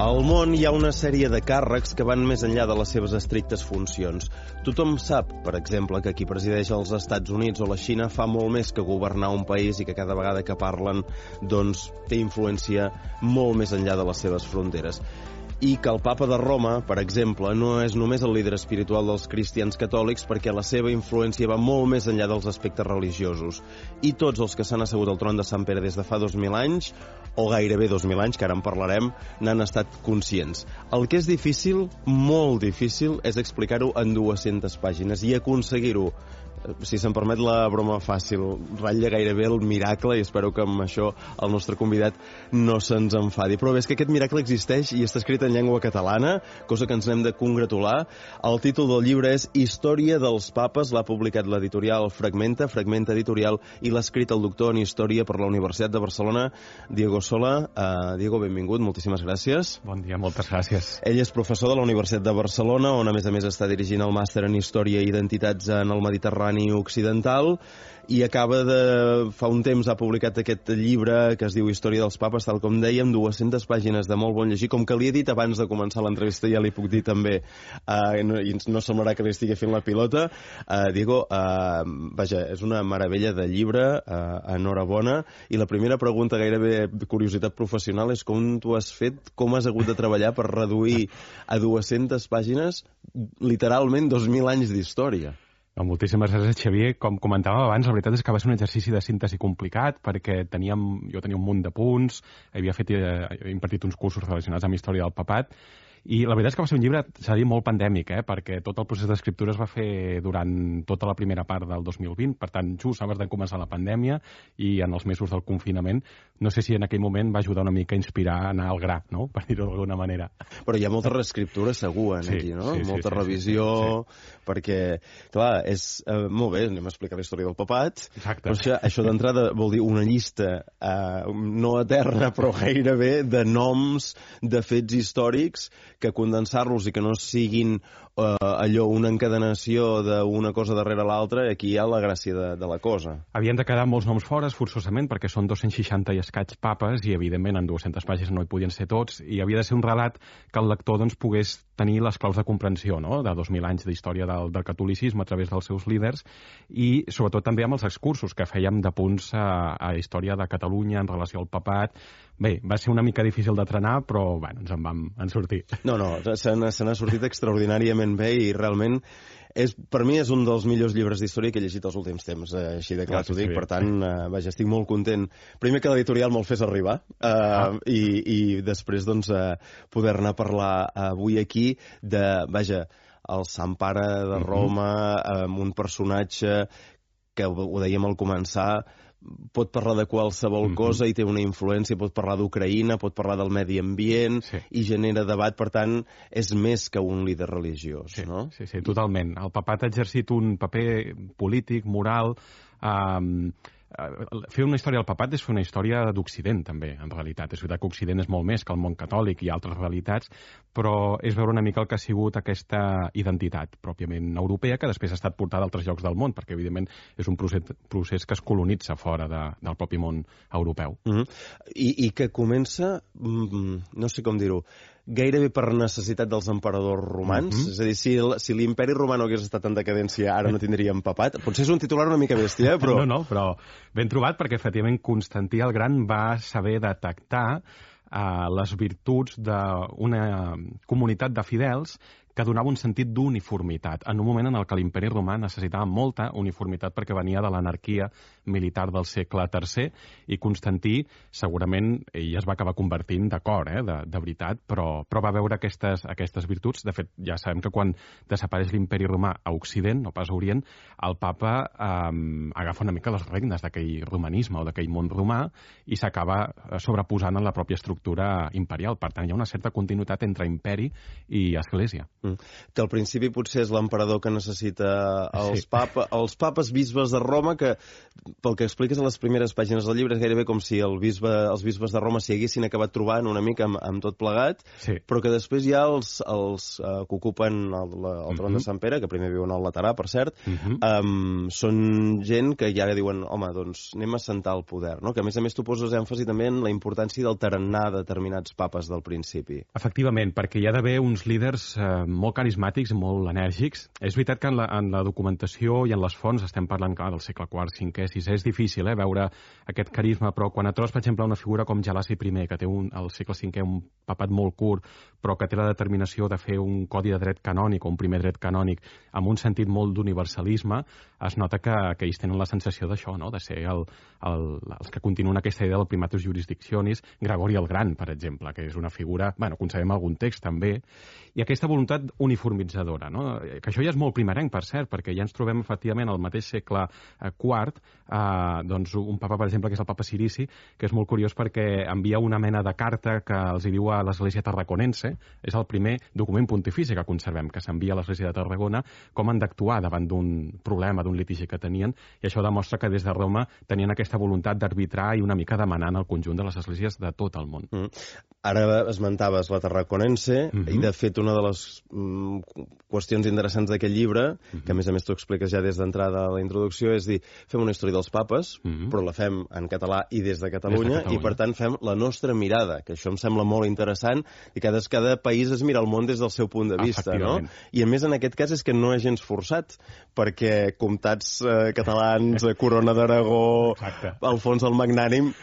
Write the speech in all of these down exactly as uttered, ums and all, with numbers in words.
Al món hi ha una sèrie de càrrecs que van més enllà de les seves estrictes funcions. Tothom sap, per exemple, que qui presideix els Estats Units o la Xina fa molt més que governar un país i que cada vegada que parlen doncs, té influència molt més enllà de les seves fronteres. I que el papa de Roma, per exemple, no és només el líder espiritual dels cristians catòlics perquè la seva influència va molt més enllà dels aspectes religiosos. I tots els que s'han assegut al tron de Sant Pere des de fa dos mil anys, o gairebé dos mil anys, que ara en parlarem, n'han estat conscients. El que és difícil, molt difícil, és explicar-ho en dues-centes pàgines i aconseguir-ho, si se'm permet la broma fàcil, ratlla gairebé el miracle, i espero que amb això el nostre convidat no se'ns enfadi. Però bé, és que aquest miracle existeix i està escrit en llengua catalana, cosa que ens n'hem de congratular. El títol del llibre és Història dels Papes, l'ha publicat l'editorial Fragmenta, Fragmenta Editorial, i l'ha escrit el doctor en Història per la Universitat de Barcelona, Diego Sola. Uh, Diego, benvingut, moltíssimes gràcies. Bon dia, moltes gràcies. Ell és professor de la Universitat de Barcelona, on a més a més està dirigint el màster en Història i Identitats en el Mediterrani occidental, i acaba de... fa un temps ha publicat aquest llibre que es diu Història dels Papes, tal com dèiem, dues-centes pàgines de molt bon llegir. Com que li he dit abans de començar l'entrevista, ja li puc dir també, uh, no, i no semblarà que li estigui fent la pilota, uh, Diego, uh, vaja, és una meravella de llibre, uh, enhorabona, i la primera pregunta, gairebé curiositat professional, és com tu has fet, com has hagut de treballar per reduir a dues-centes pàgines literalment dos mil anys d'història. No, moltíssimes gràcies, Xavier. Com comentàvem abans, la veritat és que va ser un exercici de síntesi complicat perquè teníem, jo tenia un munt de punts, havia fet, eh, he impartit uns cursos relacionats amb història del papat, i la veritat és que va ser un llibre, s'ha dit, molt pandèmic, eh? Perquè tot el procés d'escriptura es va fer durant tota la primera part del dos mil vint, per tant, just abans de començar la pandèmia i en els mesos del confinament. No sé si en aquell moment va ajudar una mica a inspirar a anar al gra, no?, per dir-ho d'alguna manera. Però hi ha molta reescriptura segur en sí, aquí, no? Sí, molta sí, revisió, sí, sí. Perquè, clar, és eh, molt bé, anem a explicar la història del papat. Exacte. Però això, això d'entrada vol dir una llista eh, no eterna, però gairebé, de noms, de fets històrics, que condensar-los i que no siguin eh, allò, una encadenació d'una cosa darrere l'altra, aquí hi ha la gràcia de, de la cosa. Havien de quedar molts noms fora, forçosament, perquè són dos-cents seixanta i escaig papes, i evidentment en dues-centes pàgines no hi podien ser tots, i havia de ser un relat que el lector doncs, pogués tenir les claus de comprensió, no?, de dos mil anys d'història del, del catolicisme a través dels seus líders, i sobretot també amb els excursos que fèiem de punts a, a història de Catalunya en relació al papat. Bé, va ser una mica difícil de trenar, però bueno, ens en vam en sortir. No, no, se n'ha sortit extraordinàriament bé i realment és, per mi és un dels millors llibres d'història que he llegit els últims temps, eh, així de clar t'ho dic, per tant, eh, vaja, estic molt content. Primer que l'editorial me'l fes arribar eh, ah. i, i després doncs eh, poder-ne parlar avui aquí de, vaja, el Sant Pare de Roma, eh, amb un personatge que ho, ho dèiem al començar, pot parlar de qualsevol mm-hmm. cosa i té una influència, pot parlar d'Ucraïna, pot parlar del medi ambient, sí. i genera debat, per tant, és més que un líder religiós, sí, no? Sí, sí, totalment. El papat ha exercit un paper polític, moral, eh, fer una història del papat és fer una història d'Occident, també, en realitat. És veritat que Occident és molt més que el món catòlic i altres realitats, però és veure una mica el que ha sigut aquesta identitat pròpiament europea, que després ha estat portada a altres llocs del món, perquè, evidentment, és un procés, procés que es colonitza fora de, del propi món europeu. Mm-hmm. I, I que comença, mm, no sé com dir-ho, gairebé per necessitat dels emperadors romans. Mm-hmm. És a dir, si, si l'imperi romà no hagués estat en decadència, ara no tindríem papat. Potser és un titular una mica bèstia, però... No, no, però ben trobat, perquè efectivament Constantí el Gran va saber detectar eh, les virtuts d'una comunitat de fidels que donava un sentit d'uniformitat, en un moment en el que l'imperi romà necessitava molta uniformitat perquè venia de l'anarquia militar del segle tercer, i Constantí segurament ell es va acabar convertint d'acord, eh, de, de veritat, però, però va veure aquestes, aquestes virtuts. De fet, ja sabem que quan desapareix l'imperi romà a Occident, no pas a Orient, el papa eh, agafa una mica les regnes d'aquell romanisme o d'aquell món romà i s'acaba sobreposant en la pròpia estructura imperial. Per tant, hi ha una certa continuïtat entre imperi i església. Mm. Mm. Que al principi potser és l'emperador que necessita els, sí. papa, els papes bisbes de Roma, que pel que expliques a les primeres pàgines del llibre és gairebé com si el bisbe, els bisbes de Roma s'hi haguessin acabat trobant una mica amb, amb tot plegat, sí. però que després hi ha els, els uh, que ocupen el, la, el tron uh -huh. de Sant Pere, que primer viuen al Laterà, per cert, uh -huh. um, són gent que ja diuen, home, doncs anem a sentar el poder, no? Que a més a més tu poses èmfasi també en la importància del tarannà de determinats papes del principi. Efectivament, perquè hi ha d'haver uns líders eh, molt carismàtics, molt enèrgics. És veritat que en la, en la documentació i en les fonts estem parlant, clar, del segle quart, cinquè, sisè, és difícil eh, veure aquest carisma, però quan et trobes, per exemple, una figura com Gelasi primer, que té un, al segle cinquè un papat molt curt, però que té la determinació de fer un codi de dret canònic o un primer dret canònic amb un sentit molt d'universalisme, es nota que, que ells tenen la sensació d'això, no? De ser el, el, els que continuen aquesta idea del primatus jurisdictionis. Gregori el Gran, per exemple, que és una figura, bueno, concebem algun text també, i aquesta voluntat uniformitzadora, no? Que això ja és molt primerenc, per cert, perquè ja ens trobem efectivament al mateix segle quart, eh, doncs un papa, per exemple, que és el papa Sirici, que és molt curiós perquè envia una mena de carta que els hi diu a l'Església Tarraconense, és el primer document pontifici que conservem, que s'envia a l'Església de Tarragona, com han d'actuar davant d'un problema, d'un litigi que tenien, i això demostra que des de Roma tenien aquesta voluntat d'arbitrar i una mica demanant al conjunt de les esglésies de tot el món. Mm. Ara esmentaves la Tarraconense, mm -hmm. i de fet una de les mm, qüestions interessants d'aquest llibre, mm -hmm. que a més a més tu expliques ja des d'entrada a la introducció, és dir, fem una història dels papes, mm -hmm. però la fem en català i des de Catalunya, des de Catalunya, i per tant fem la nostra mirada, que això em sembla molt interessant, i cada, cada país es mira el món des del seu punt de vista, no? I a més en aquest cas és que no és gens forçat, perquè comtats eh, catalans, eh, Corona d'Aragó, Alfons el Magnànim,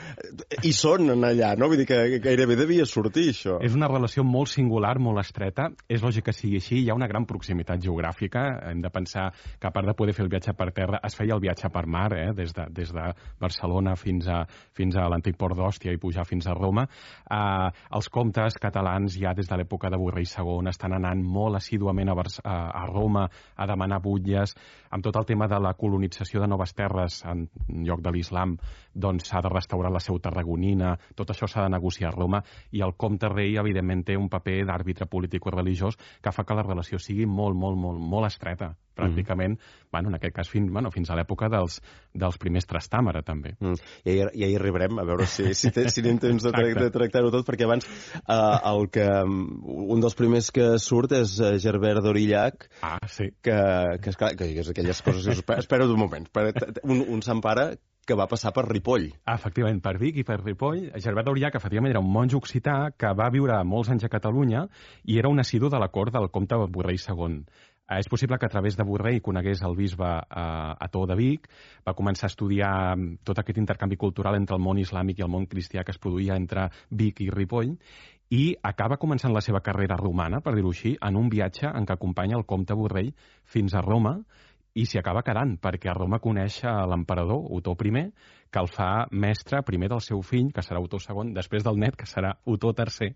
hi són allà, no? Vull dir que gairebé devia sortir, això. És una relació molt singular, molt estreta. És lògic que sigui així. Hi ha una gran proximitat geogràfica. Hem de pensar que, a part de poder fer el viatge per terra, es feia el viatge per mar, eh? des, de, des de Barcelona fins a, fins a l'antic port d'Òstia i pujar fins a Roma. Eh, els comtes catalans, ja des de l'època de Borrell segon, estan anant molt assíduament a, a, a Roma a demanar butlles. Amb tot el tema de la colonització de noves terres en lloc de l'islam, doncs s'ha de restaurar la seu tarragonina, tot això s'ha de negociar a Roma, i el comte rei, evidentment, té un paper d'àrbitre polític o religiós que fa que la relació sigui molt, molt, molt, molt estreta, pràcticament, mm. bueno, en aquest cas, fins, bueno, fins a l'època dels, dels primers Trastàmara, també. Mm. I ja hi arribarem, a veure si, si, té, si anem temps de, tra de tractar-ho tot, perquè abans uh, el que, un dels primers que surt és uh, Gerbert d'Aurillac, ah, sí. que, que, esclar, que és aquelles coses que... Espera, espera un moment, espera, un, un Sant Pare que va passar per Ripoll. Ah, efectivament, per Vic i per Ripoll. Gerbert d'Aurillac, efectivament, era un monjo occità que va viure molts anys a Catalunya i era un assidu de la cort del comte Borrell segon. Eh, és possible que a través de Borrell conegués el bisbe eh, a To de Vic, va començar a estudiar tot aquest intercanvi cultural entre el món islàmic i el món cristià que es produïa entre Vic i Ripoll, i acaba començant la seva carrera romana, per dir-ho així, en un viatge en què acompanya el comte Borrell fins a Roma, i s'hi acaba quedant, perquè a Roma coneix l'emperador Otó primer, que el fa mestre primer del seu fill, que serà Otó segon, després del net, que serà Otó tercer,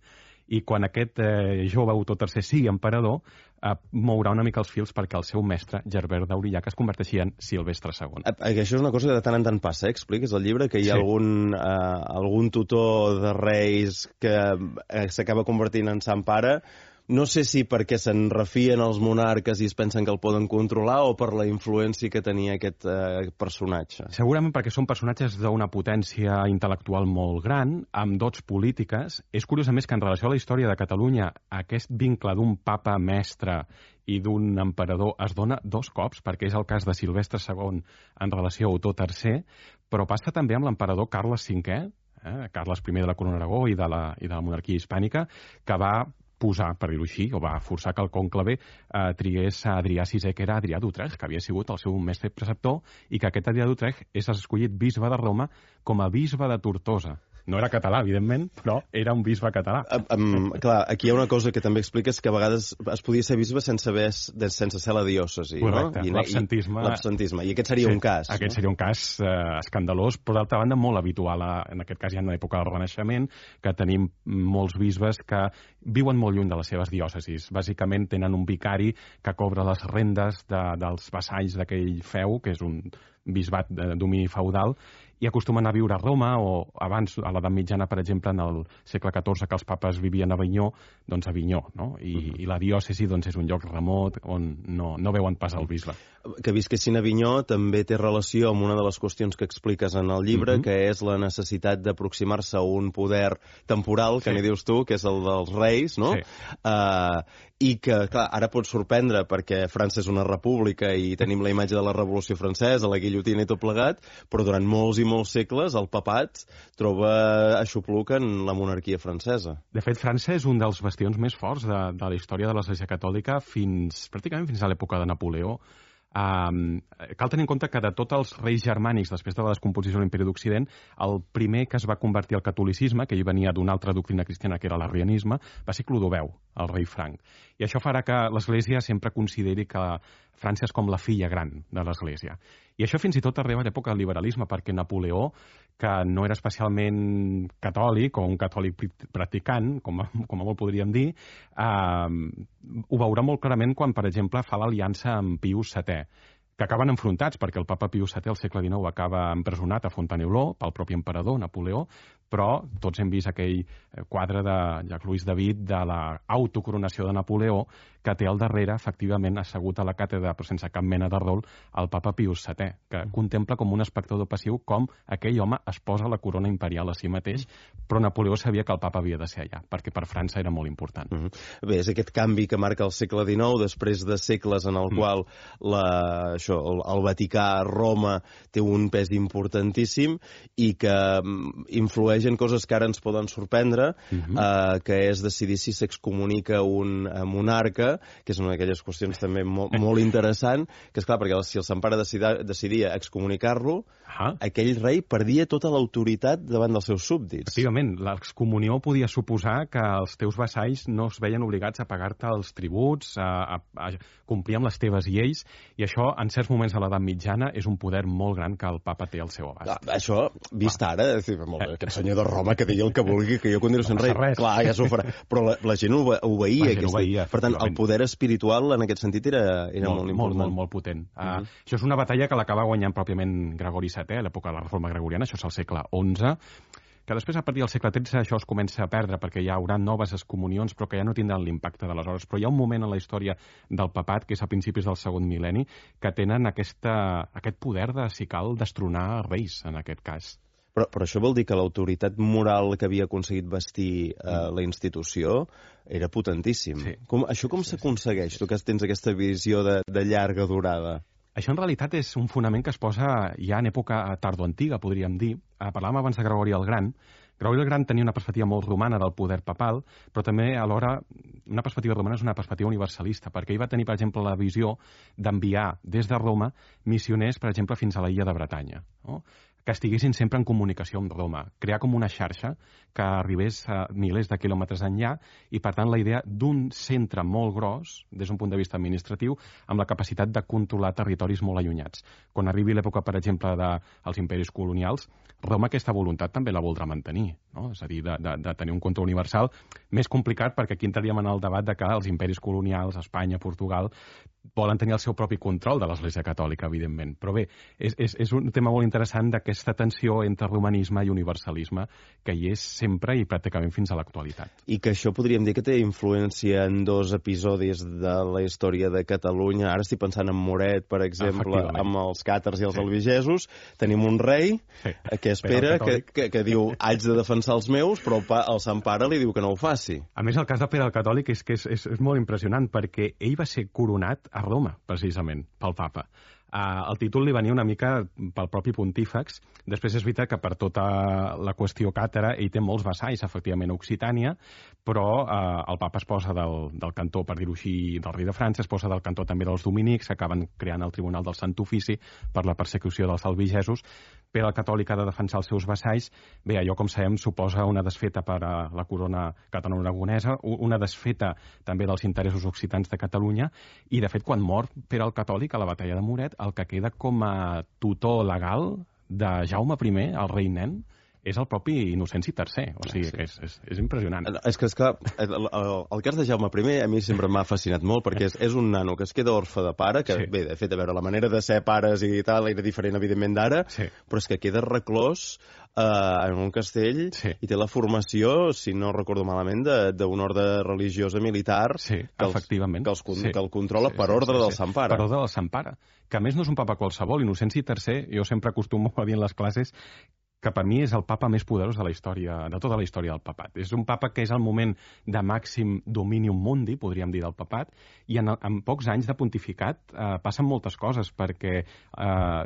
i quan aquest eh, jove Otó tercer sigui emperador, eh, mourà una mica els fils perquè el seu mestre, Gerbert d'Aurillac, es converteixi en Silvestre segon. Eh, això és una cosa que de tant en tant passa, eh? Expliques al llibre que hi ha sí. algun, eh, algun tutor de reis que eh, s'acaba convertint en Sant Pare. No sé si perquè se'n refien els monarques i es pensen que el poden controlar o per la influència que tenia aquest eh, personatge. Segurament perquè són personatges d'una potència intel·lectual molt gran, amb dots polítiques. És curiós, a més, que en relació a la història de Catalunya, aquest vincle d'un papa mestre i d'un emperador es dona dos cops, perquè és el cas de Silvestre segon en relació a Otó tercer, però passa també amb l'emperador Carles cinquè, eh, Carles primer de la Corona d'Aragó i, de la, i de la monarquia hispànica, que va posar, per dir-ho així, o va forçar que el cònclave eh, trigués a Adrià sisè, que era Adrià d'Utrecht, que havia sigut el seu mestre preceptor, i que aquest Adrià d'Utrecht és escollit bisbe de Roma com a bisbe de Tortosa. No era català, evidentment, però era un bisbe català. Um, um, clar, aquí hi ha una cosa que també expliques, que a vegades es podia ser bisbe sense, haver, sense ser la diòcesi. Correcte, no? l'absentisme. L'absentisme, i aquest seria sí, un cas. Aquest no? seria un cas eh, escandalós, però d'altra banda molt habitual. A, en aquest cas ja en l'època del Renaixement, que tenim molts bisbes que viuen molt lluny de les seves diòcesis. Bàsicament tenen un vicari que cobra les rendes de, dels vassalls d'aquell feu, que és un bisbat de domini feudal, i acostumen a viure a Roma, o abans, a l'edat mitjana, per exemple, en el segle catorze, que els papes vivien a Avinyó, doncs a Avinyó, no? I, uh-huh. i la diòcesi doncs, és un lloc remot on no, no veuen pas el bisbe. Que visquessin a Avinyó també té relació amb una de les qüestions que expliques en el llibre, uh-huh. que és la necessitat d'aproximar-se a un poder temporal, que sí. n'hi dius tu, que és el dels reis, no? Sí. Uh, I que, clar, ara pot sorprendre perquè França és una república i tenim la imatge de la Revolució Francesa, la guillotina i tot plegat, però durant molts i molts segles el papat troba aixopluc en la monarquia francesa. De fet, França és un dels bastions més forts de, de la història de l'Església Catòlica fins, pràcticament fins a l'època de Napoleó. Um, cal tenir en compte que de tots els reis germànics després de la descomposició de l'Imperi d'Occident, el primer que es va convertir al catolicisme, que ell venia d'una altra doctrina cristiana que era l'arrianisme, va ser Clodoveu, el rei franc. I això farà que l'Església sempre consideri que França és com la filla gran de l'Església. I això fins i tot arriba a l'època del liberalisme, perquè Napoleó, que no era especialment catòlic o un catòlic practicant, com a, com a molt podríem dir, eh, ho veurà molt clarament quan, per exemple, fa l'aliança amb Pius setè, que acaben enfrontats, perquè el papa Pius setè al segle dinou acaba empresonat a Fontainebleau pel propi emperador Napoleó, però tots hem vist aquell quadre de Jacques-Louis David de l'autocoronació de Napoleó, que té al darrere, efectivament, assegut a la càtedra, però sense cap mena de rol, el papa Pius setè, que contempla com un espectador passiu com aquell home es posa la corona imperial a si mateix, però Napoleó sabia que el papa havia de ser allà, perquè per França era molt important. Mm -hmm. Bé, és aquest canvi que marca el segle dinou, després de segles en el mm. qual la, això, el, el Vaticà, Roma, té un pes importantíssim i que influeix en coses que ara ens poden sorprendre, mm-hmm. eh, que és decidir si s'excomunica un eh, monarca, que és una d'aquelles qüestions també molt, molt interessant, que és clar, perquè si el Sant Pare decidia, decidia excomunicar-lo, ah. aquell rei perdia tota l'autoritat davant dels seus súbdits. Efectivament, l'excomunió podia suposar que els teus vassalls no es veien obligats a pagar-te els tributs, a, a, a complir amb les teves lleis, i això, en certs moments de l'edat mitjana, és un poder molt gran que el papa té al seu abast. Ah, això, vist ah. ara, és dir, molt bé, aquest senyor de Roma que deia el que vulgui, que jo continuo sent no rei. Res. Clar, ja s'ho farà. Però la, la gent obeïa. La gent obeïa, per tant, el poder espiritual en aquest sentit era, era molt, molt important. Molt, molt, molt potent. Uh -huh. uh, això és una batalla que l'acaba guanyant pròpiament Gregori setè, a l'època de la Reforma Gregoriana, això és el segle onze, que després, a partir del segle tretze, això es comença a perdre, perquè hi haurà noves excomunions, però que ja no tindran l'impacte d'aleshores. Però hi ha un moment en la història del papat, que és a principis del segon mil·lenni, que tenen aquesta, aquest poder de, si cal, destronar reis, en aquest cas. Però, però això vol dir que l'autoritat moral que havia aconseguit vestir eh, la institució era potentíssim. Sí. Com, això com sí, s'aconsegueix, sí, sí. tu que tens aquesta visió de, de llarga durada? Això en realitat és un fonament que es posa ja en època tardoantiga, podríem dir. Parlàvem abans de Gregori el Gran. Gregori el Gran tenia una perspectiva molt romana del poder papal, però també alhora una perspectiva romana és una perspectiva universalista, perquè ell va tenir, per exemple, la visió d'enviar des de Roma missioners, per exemple, fins a la illa de Bretanya, no? Que estiguessin sempre en comunicació amb Roma, crear com una xarxa que arribés a milers de quilòmetres enllà i, per tant, la idea d'un centre molt gros, des d'un punt de vista administratiu, amb la capacitat de controlar territoris molt allunyats. Quan arribi l'època, per exemple, dels imperis colonials, Roma aquesta voluntat també la voldrà mantenir, no? És a dir, de, de, de tenir un control universal, més complicat perquè aquí entraríem en el debat de que els imperis colonials, Espanya, Portugal, volen tenir el seu propi control de l'Església Catòlica, evidentment. Però bé, és, és, és un tema molt interessant d'aquesta tensió entre romanisme i universalisme que hi és sempre i pràcticament fins a l'actualitat. I que això podríem dir que té influència en dos episodis de la història de Catalunya. Ara estic pensant en Moret, per exemple, amb els càtars i els sí. albigesos. Tenim un rei sí. que espera, que, que, que diu haig de defensar els meus, però el, pa, el Sant Pare li diu que no ho faci. A més, el cas de Pere el Catòlic és que és, és, és molt impressionant, perquè ell va ser coronat a Roma, precisament, pel papa. Uh, el títol li venia una mica pel propi pontífex. Després és veritat que per tota la qüestió càtara ell té molts vassalls, efectivament, a Occitània, però uh, el papa es posa del, del cantó, per dir-ho així, del rei de França, es posa del cantó també dels dominics, acaben creant el Tribunal del Sant Ofici per la persecució dels albigesos. Pere el Catòlic ha de defensar els seus vassalls. Bé, allò, com sabem, suposa una desfeta per a la corona catalano-aragonesa, una desfeta també dels interessos occitans de Catalunya, i, de fet, quan mor Pere el Catòlic a la batalla de Moret, el que queda com a tutor legal de Jaume primer, el rei nen, és el propi Innocenci tercer. O sigui, sí. que és, és, és impressionant. És que, esclar, el, el, el cas de Jaume primer a mi sempre m'ha fascinat molt, perquè és, és un nano que es queda orfe de pare, que, sí. bé, de fet, a veure, la manera de ser pares i tal era diferent, evidentment, d'ara, sí. però és que queda reclòs eh, en un castell sí. i té la formació, si no recordo malament, d'un ordre religiosa militar sí, que, els, efectivament. que, els, sí. que el controla sí, per sí, ordre sí, del sí. Sant Pare. Per ordre del Sant Pare, que a més no és un papa qualsevol. Innocenci tercer, jo sempre acostumo a dir en les classes que per mi és el papa més poderós de la història, de tota la història del papat. És un papa que és el moment de màxim dominium mundi, podríem dir, del papat, i en, en pocs anys de pontificat eh, passen moltes coses, perquè eh,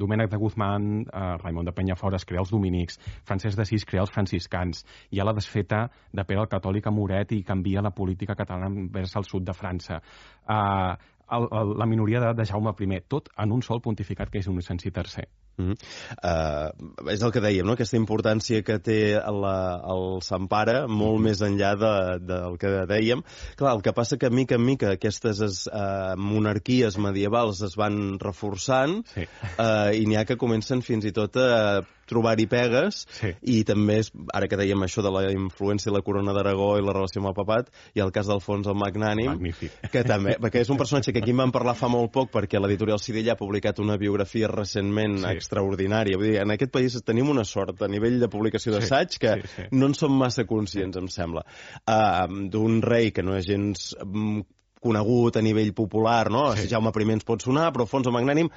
Domènec de Guzmán, eh, Raimon de Penyafort es crea els dominics, Francesc d'Assís crea els franciscans, hi ha la desfeta de Pere el Catòlic a Moret i canvia la política catalana vers el sud de França. Eh, el, el, la minoria de, de Jaume primer, tot en un sol pontificat que és Innocenci tercer. Mm -hmm. uh, és el que dèiem, no? Aquesta importància que té la, el Sant Pare, molt mm -hmm. més enllà de, del que dèiem. Clar, el que passa que mica en mica aquestes uh, monarquies medievals es van reforçant sí. uh, i n'hi ha que comencen fins i tot a trobar-hi pegues sí. i també, és, ara que dèiem això de la influència de la corona d'Aragó i la relació amb el papat, i el cas d'Alfons el Magnànim, magnífic, que també, perquè és un personatge que aquí en vam parlar fa molt poc, perquè l'editorial Sidella ha publicat una biografia recentment sí. extraordinària. Vull dir, en aquest país tenim una sort a nivell de publicació d'assaig sí, que sí, sí. no en som massa conscients, em sembla. Uh, d'un rei que no és gens um, conegut a nivell popular, no? Sí. Jaume primer ens pot sonar, però Alfons el Magnànim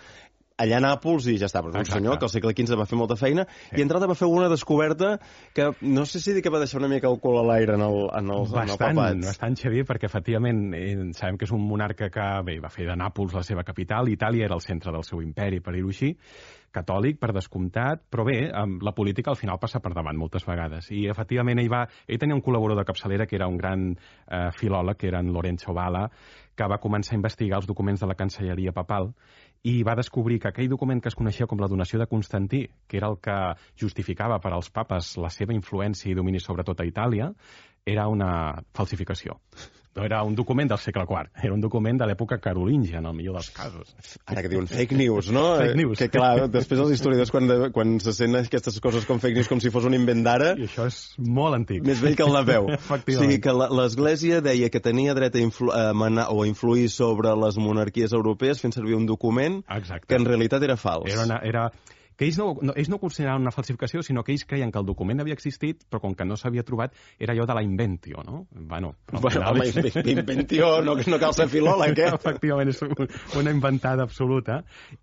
allà a Nàpols i ja està, però és un senyor que al segle quinze va fer molta feina sí. i entrada va fer una descoberta que no sé si dir que va deixar una mica el cul a l'aire en el, en el, bastant, en el papat. Bastant, Xavier, perquè efectivament eh, sabem que és un monarca que bé, va fer de Nàpols la seva capital, Itàlia era el centre del seu imperi, per dir-ho així, catòlic, per descomptat, però bé, la política al final passa per davant moltes vegades. I efectivament ell va... Ell tenia un col·laborador de capçalera que era un gran eh, filòleg, que era en Lorenzo Valla, que va començar a investigar els documents de la Cancelleria papal i va descobrir que aquell document que es coneixia com la donació de Constantí, que era el que justificava per als papes la seva influència i domini sobre tota Itàlia, era una falsificació. No era un document del segle quart, era un document de l'època carolíngia, en el millor dels casos. Ara que diuen fake news, no? Fake news. Que clar, després els historiadors, quan, de, quan se senten aquestes coses com fake news com si fos un invent d'ara... I això és molt antic. Més vell que el Napeu. Efectivament. O sigui, que l'Església deia que tenia dret a, influ, a manar o a influir sobre les monarquies europees fent servir un document Exacte. que en realitat era fals. Era una, era... que ells no, no, ells no consideraven una falsificació, sinó que ells creien que el document havia existit, però com que no s'havia trobat, era allò de la inventio, no? Bueno, bueno home, és... inventio, no, no cal ser filòleg, eh? Efectivament, és una inventada absoluta,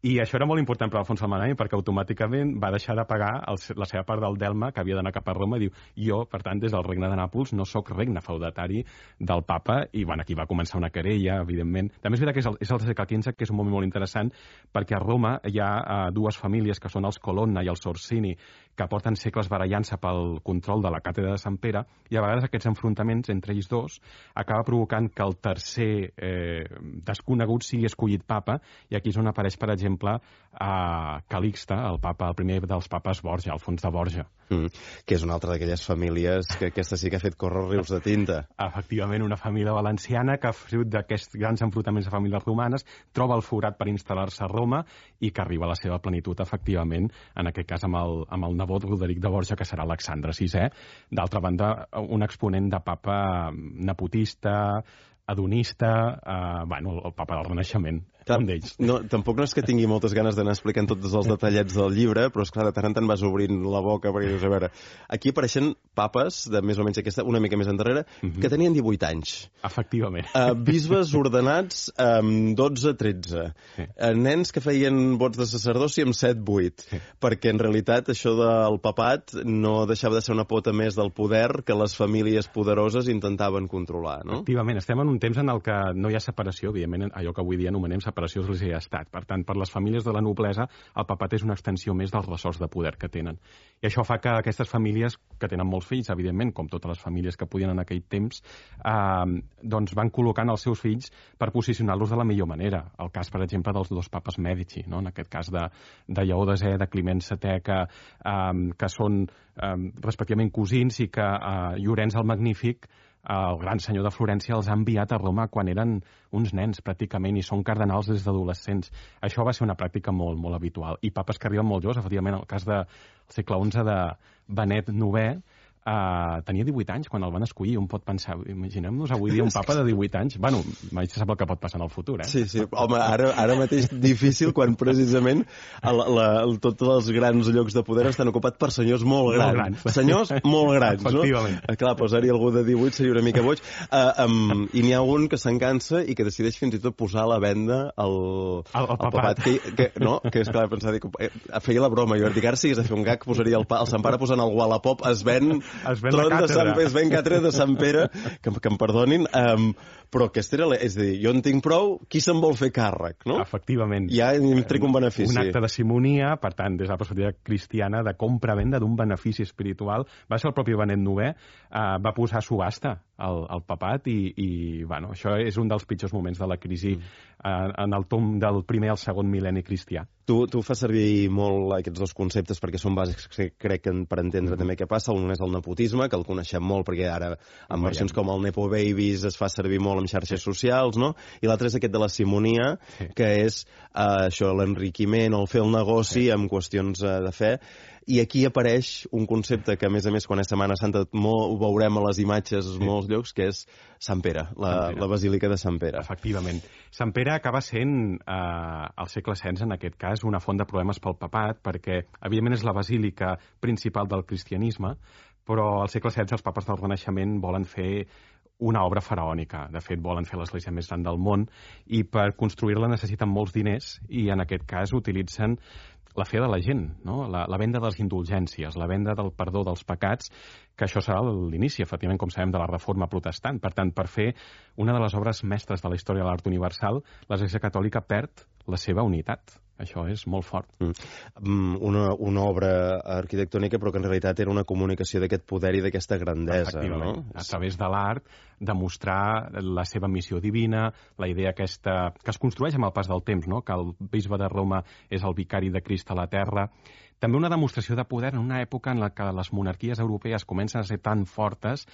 i això era molt important per Alfons el Magnànim, perquè automàticament va deixar de pagar el, la seva part del delme, que havia d'anar cap a Roma, i diu, jo, per tant, des del regne de Nàpols, no sóc regne feudatari del papa, i bueno, aquí va començar una querella, evidentment. També és veritat que és el, és el segle quinze, que és un moment molt interessant, perquè a Roma hi ha uh, dues famílies que són els Colonna i els Orsini, que porten segles barallant-se pel control de la càtedra de Sant Pere, i a vegades aquests enfrontaments entre ells dos acaba provocant que el tercer eh, desconegut sigui escollit papa, i aquí és on apareix, per exemple, a Calixte, el papa, el primer dels papes Borja, Alfons de Borja. Mm, que és una altra d'aquelles famílies que aquesta sí que ha fet córrer rius de tinta. Efectivament, una família valenciana que, fruit d'aquests grans enfrontaments de famílies romanes, troba el forat per instal·lar-se a Roma i que arriba a la seva plenitud, efectivament, en aquest cas amb el, amb el nebot Roderic de Borja, que serà Alexandre sisè. D'altra banda, un exponent de papa nepotista, hedonista, eh, bueno, el papa del Renaixement. Un d'ells. No, tampoc no és que tingui moltes ganes d'anar explicant tots els detallets del llibre, però és clar, de tant en tant vas obrint la boca perquè dius, a veure, aquí apareixen papes de més o menys aquesta, una mica més endarrere, uh-huh. que tenien divuit anys. Efectivament. Uh, bisbes ordenats amb dotze tretze. Sí. Uh, nens que feien vots de sacerdoci amb set vuit. Sí. Perquè en realitat això del papat no deixava de ser una pota més del poder que les famílies poderoses intentaven controlar, no? Efectivament. Estem en un temps en el que no hi ha separació, evidentment, allò que avui dia anomenem separació església i estat. Per tant, per les famílies de la noblesa, el papat és una extensió més dels ressorts de poder que tenen. I això fa que aquestes famílies, que tenen molts fills, evidentment, com totes les famílies que podien en aquell temps, eh, doncs van col·locant els seus fills per posicionar-los de la millor manera. El cas, per exemple, dels dos papes Mèdici, no? En aquest cas de, de Lleó desè, de Climent setè, que, eh, que són eh, respectivament cosins, i que eh, Llorenç el Magnífic el gran senyor de Florència els ha enviat a Roma quan eren uns nens, pràcticament, i són cardenals des d'adolescents. Això va ser una pràctica molt, molt habitual. I papes que arriben molt joves, efectivament, el cas del segle onze de Benet novè, Uh, tenia divuit anys quan el van escollir. Un pot pensar, imaginem-nos avui dia un papa de divuit anys. Bueno, mai se sap el que pot passar en el futur, eh? Sí, sí. Home, ara, ara mateix difícil quan precisament el, la, el, tots els grans llocs de poder estan ocupats per senyors molt grans. Molt grans. Senyors molt grans, no? Efectivament. Clar, posar-hi algú de divuit seria una mica boig. Uh, um, I n'hi ha un que se'n cansa i que decideix fins i tot posar a la venda el, el, el, el papat. papat. Que, que, no, que és clar, pensar, dic, feia la broma. Jo dic, ara si hagués de fer un gag, posaria el, el Sant Pare posant el Wallapop, es ven... Es ven tron la de Sant, càtedra. es ven càtedra de Sant Pere, que, que em perdonin, um, però aquesta era... La, és a dir, jo en tinc prou, qui se'n vol fer càrrec, no? Efectivament. Ja em trec un benefici. Un acte de simonia, per tant, des de la perspectiva cristiana, de compra-venda d'un benefici espiritual. Va ser el propi Benet novè, eh, va posar a subhasta el, el papat i, i bueno, això és un dels pitjors moments de la crisi eh, en el tom del primer al segon mil·lenni cristià. Tu, tu fas servir molt aquests dos conceptes perquè són bàsics, crec, que per entendre mm. també què passa. Un és el nepotisme, que el coneixem molt perquè ara en versions com el Nepo Babies es fa servir molt en xarxes sí. socials, no? I l'altre és aquest de la simonia, sí. que és uh, això, l'enriquiment o el fer el negoci sí. amb qüestions uh, de fe. I aquí apareix un concepte que, a més a més, quan és Setmana Santa molt, ho veurem a les imatges sí. molts llocs, que és Sant Pere, la, Sant Pere, la Basílica de Sant Pere. Efectivament. Sant Pere acaba sent, eh, al segle setze, en aquest cas, una font de problemes pel papat, perquè, evidentment, és la basílica principal del cristianisme, però al segle setze els papes del Renaixement volen fer una obra faraònica. De fet, volen fer l'església més gran del món i per construir-la necessiten molts diners i, en aquest cas, utilitzen la fe de la gent, no? la, la venda de les indulgències, la venda del perdó dels pecats, que això serà l'inici, efectivament, com sabem, de la reforma protestant. Per tant, per fer una de les obres mestres de la història de l'art universal, l'Església Catòlica perd la seva unitat. Això és molt fort. Mm. Una, una obra arquitectònica, però que en realitat era una comunicació d'aquest poder i d'aquesta grandesa, no? A través de l'art, demostrar la seva missió divina, la idea aquesta que es construeix amb el pas del temps, no? Que el bisbe de Roma és el vicari de Crist a la terra. També una demostració de poder en una època en la que les monarquies europees comencen a ser tan fortes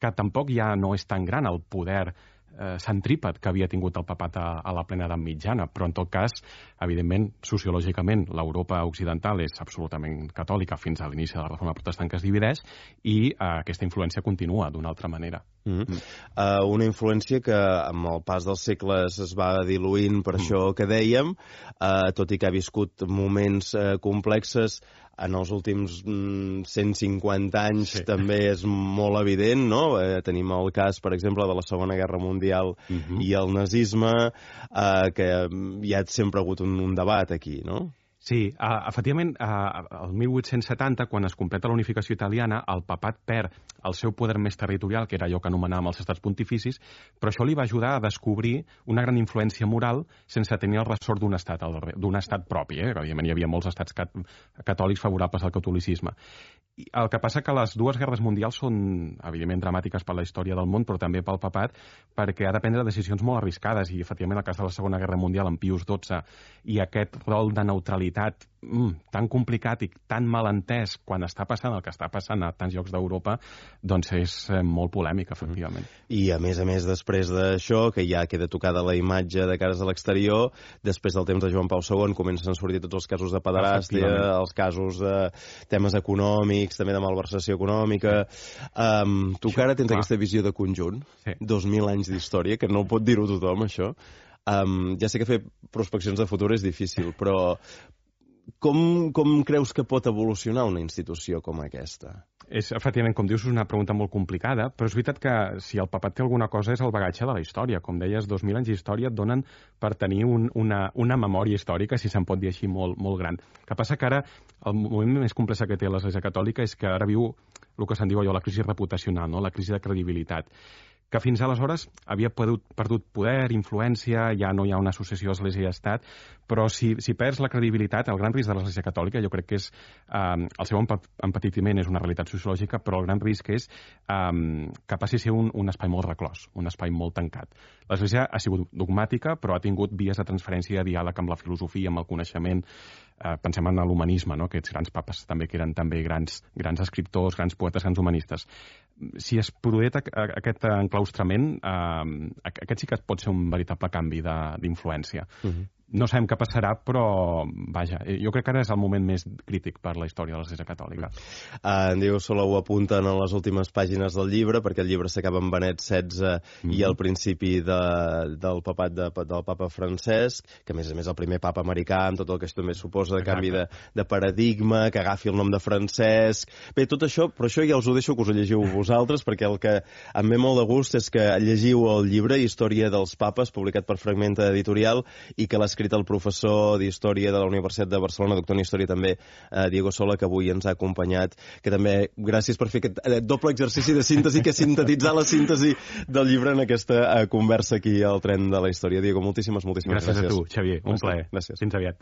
que tampoc ja no és tan gran el poder eh, centrípet que havia tingut el papat a, a la plena edat mitjana, però en tot cas, evidentment, sociològicament, l'Europa occidental és absolutament catòlica fins a l'inici de la reforma protestant que es divideix i eh, aquesta influència continua d'una altra manera. Mm -hmm. uh, una influència que amb el pas dels segles es va diluint per mm. això que dèiem, uh, tot i que ha viscut moments uh, complexes. En els últims mm, cent cinquanta anys sí. també és molt evident, no? Eh, tenim el cas, per exemple, de la Segona Guerra Mundial uh-huh. i el nazisme, eh, que hi ha sempre hagut un, un debat aquí, no? Sí, uh, efectivament, uh, el mil vuit-cents setanta, quan es completa la unificació italiana, el papat perd el seu poder més territorial, que era allò que anomenàvem els estats pontificis, però això li va ajudar a descobrir una gran influència moral sense tenir el ressort d'un estat, d'un estat propi. Eh? Evidentment, hi havia molts estats cat catòlics favorables al catolicisme. I el que passa que les dues guerres mundials són, evidentment, dramàtiques per la història del món, però també pel papat, perquè ha de prendre decisions molt arriscades, i, efectivament, el cas de la Segona Guerra Mundial, amb Pius dotze, i aquest rol de neutralitat mm, tan complicat i tan mal entès quan està passant el que està passant a tants llocs d'Europa, doncs és eh, molt polèmic, efectivament. I, a més a més, després d'això, que ja queda tocada la imatge de cares a l'exterior, després del temps de Joan Pau segon comencen a sortir tots els casos de pederàstia, els casos de temes econòmics, també de malversació econòmica. Um, tu que ara tens Clar. aquesta visió de conjunt, sí. dos mil anys d'història, que no pot dir-ho tothom, això. Um, ja sé que fer prospeccions de futur és difícil, però com, com creus que pot evolucionar una institució com aquesta? És, efectivament, com dius, és una pregunta molt complicada, però és veritat que si el papat té alguna cosa és el bagatge de la història. Com deies, dos mil anys d'història et donen per tenir un, una, una memòria històrica, si se'n pot dir així, molt, molt gran. El que passa que ara el moment més complex que té l'Església Catòlica és que ara viu el que se'n diu allò, la crisi reputacional, no? La crisi de credibilitat, que fins aleshores havia perdut, perdut poder, influència, ja no hi ha una associació Església i Estat, però si, si perds la credibilitat, el gran risc de l'Església Catòlica, jo crec que és, eh, el seu empetitiment és una realitat sociològica, però el gran risc és eh, que passi a ser un, un espai molt reclòs, un espai molt tancat. L'Església ha sigut dogmàtica, però ha tingut vies de transferència i de diàleg amb la filosofia, amb el coneixement. eh, pensem en l'humanisme, no? Aquests grans papes també que eren també grans, grans escriptors, grans poetes, grans humanistes. Si es produeix aquest enclaustrament, eh, aquest sí que pot ser un veritable canvi d'influència. Uh-huh. No sabem què passarà, però, vaja, jo crec que ara és el moment més crític per la història de l'Església Catòlica. Uh, en Diego Sola ho apunta en les últimes pàgines del llibre, perquè el llibre s'acaba amb Benet setze mm-hmm. i al principi de, del papat de, del papa Francesc, que a més a més el primer papa americà, amb tot el que això també suposa de canvi de, de paradigma, que agafi el nom de Francesc... Bé, tot això, però això ja us ho deixo que us ho llegiu vosaltres, perquè el que em ve molt de gust és que llegiu el llibre Història dels Papes, publicat per Fragmenta Editorial, i que l'ha escrit el professor d'Història de la Universitat de Barcelona, doctor en Història també, eh, Diego Sola, que avui ens ha acompanyat, que també gràcies per fer aquest eh, doble exercici de síntesi, que sintetitzar la síntesi del llibre en aquesta eh, conversa aquí al Tren de la Història. Diego, moltíssimes, moltíssimes gràcies. Gràcies a tu, Xavier, un plaer. Gràcies. Fins aviat.